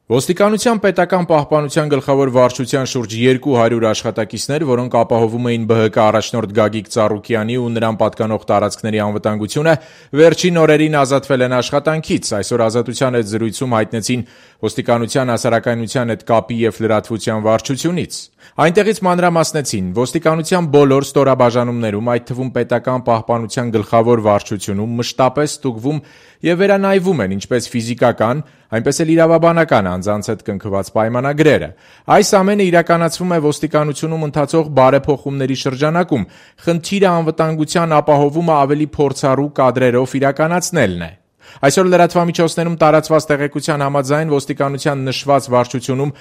Ոստիկանության պետական պահպանության գլխավոր վարչության շուրջ 200 աշխատակիցներ, որոնք ապահովում էին ԲՀԿ առաջնորդ Գագիկ Ծառուկյանի ու նրան պատկանող տարածքների անվտանգությունը, վերջին օրերին ազատվել են աշխատանքից։ Այսօր Ազատության հետ զրույցում հայտնեցին ոստիկանության հասարակայնության հետ կապի և լրատվության վարչությունից։ Այնտեղից մանրամասնեցին, ոստիկանության բոլոր ստորաբաժանումներում, այդ թվում պետական պահպանության գլխավոր վարչությունում մշտապես ստուգվում և վերանայվում են ինչպես ֆիզիկական, այնպես էլ իրավաբանական անձանց հետ կնքված պայմանագրերը։ Այս ամենը իրականացվում է ոստիկանությունում ընթացող բարեփոխումների շրջանակում։ Խնդիրը անվտանգության ապահովումը ավելի փորձառու կադրերով իրականացնելն է։ Այսօր լրատվամիջոցներում տարածված տեղեկության համաձայն ոստիկանության նշված վարչությունում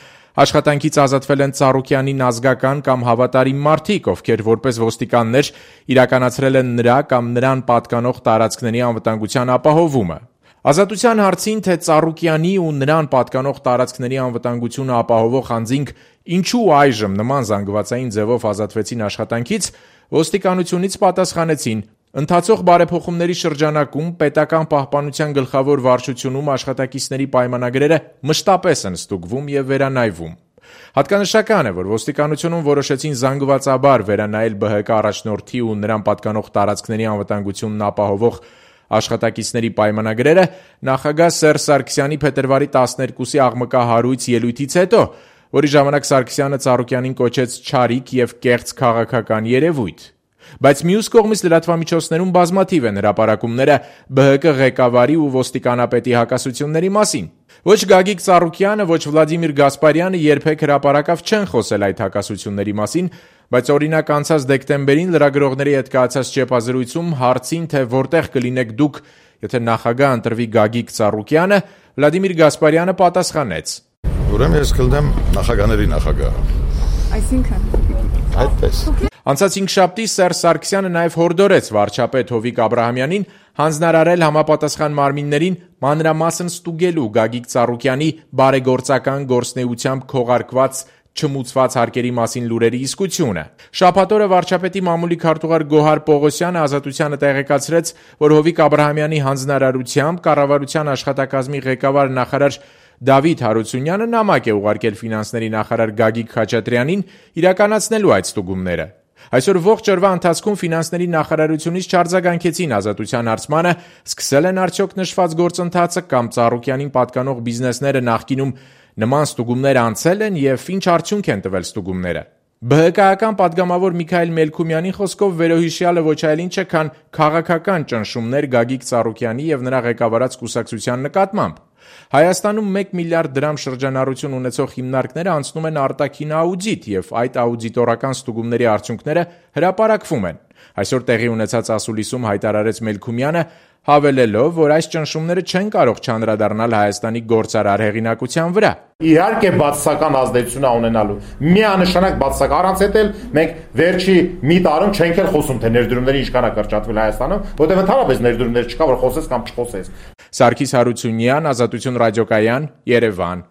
աշխատանքից ազատվել են Ծառուկյանին ազգական կամ հավատարիմ մարդիկ, ովքեր որպես ոստիկաններ իրականացրել են նրա կամ նրան պատկանող տարածքների անվտանգության ապահովումը։ Ազատության հարցին, թե Ծառուկյանի ու նրան պատկանող տարածքների անվտանգությունը ապահովող անձինք ինչու այժմ նման զանգվածային ձևով ազատվեցին աշխատանքից, ոստիկանությունից պատասխանեցին. ընթացող բարեփոխումների շրջանակում պետական պահպանության գլխավոր վարչությունում աշխատակիցների պայմանագրերը մշտապես են ստուգվում և վերանայվում։ Հատկանշական է, որ ոստիկանությունում որոշեցին զանգվածաբար վերանայել ԲՀԿ առաջնորդի ու նրան պատկանող տարածքների անվտանգությունն ապահովող աշխատակիցների պայմանագրերը նախագահ Սերժ Սարգսյանի փետրվարի 12-ի աղմկահարույց ելույթից հետո, որի ժամանակ Սարգսյանը Ծառուկյանին կոչեց չարիք և կեղծ քաղաքական երևույթ։ Բայց մյուս կողմից լրատվամիջոցներում բազմաթիվ են հրապարակումները ԲՀԿ ղեկավարի ու ոստիկանապետի հակասությունների մասին։ Ոչ Գագիկ Ծառուկյանը, ոչ Վլադիմիր Գասպարյանը երբեք հրապարակավ չեն խոսել այդ հակասությունների մասին, բայց օրինակ անցած դեկտեմբերին լրագրողների հետ կայացած ճեպազրույցում հարցին, թե որտեղ կլինեք դուք, եթե նախագահ ընտրվի Գագիկ Ծառուկյանը, Վլադիմիր Գասպարյանը պատասխանեց. Ուրեմն ես կլինեմ նախագահների նախագահը։ Այսինքն այդպես։ Անցած հինգշաբթի Սերժ Սարգսյանը նաև հորդորեց վարչապետ Հովիկ Աբրահամյանին հանձնարարել համապատասխան մարմիններին մանրամասն ստուգելու Գագիկ Ծառուկյանի բարեգործական գործունեությամբ քողարկված չմուծված հարկերի մասին լուրերի իսկությունը։ Շաբաթ օրը վարչապետի մամուլի քարտուղար Գոհար Պողոսյանը Ազատությանը տեղեկացրեց, որ Հովիկ Աբրահամյանի հանձնարարությամբ կառավարության աշխատակազմի ղեկավար նախարար Դավիթ Հարությունյանը նամակ է ուղարկել ֆինանսների նախարար Գագիկ Խաչատրյանին իրականացնելու այդ ստուգումները։ Այսօր ողջ օրվա ընթացքում ֆինանսների նախարարությունից չարձագանքեցին Ազատության հարցմանը, սկսել են արդյոք նշված գործընթացը կամ Ծառուկյանին պատկանող բիզնեսները նախկինում նման ստուգումներ անցել են և ինչ արդյունք են տվել ստուգումները։ ԲՀԿ-ական պատգամավոր Միքայել Մելքումյանի խոսքով վերոհիշյալը ոչ այլ ինչ է, քան քաղաքական ճնշումներ Գագիկ Ծառուկյանի և նրա ղեկավարած կուսակցության նկատմամբ։ Հայաստանում 1 միլիարդ դրամ շրջանառություն ունեցող հիմնարկները անցնում են արտաքին աուդիտ և այդ աուդիտորական ստուգումների արդյունքները հրապարակվում են։ Այսօր տեղի ունեցած ասուլիսում հայտարարեց Մելքումյանը, հավելելով, որ այս ճնշումները չեն կարող չանդրադառնալ Հայաստանի գործարար հեղինակության վրա։ Իհարկե բացասական ազդեցություն ունենալու։ Միանշանակ բացասական, առանց այդ էլ մենք վերջի մի տարում չենք էլ խոսում, թե ներդրումների ինչքան է կրճատվել Հայաստանում, որտեղ ընդհանրապես ներդրումներ չկա, որ խոսես կամ չխոսես։ Սարգիս Հարությունյան, Ազատություն ռադիոկայան, Երևան։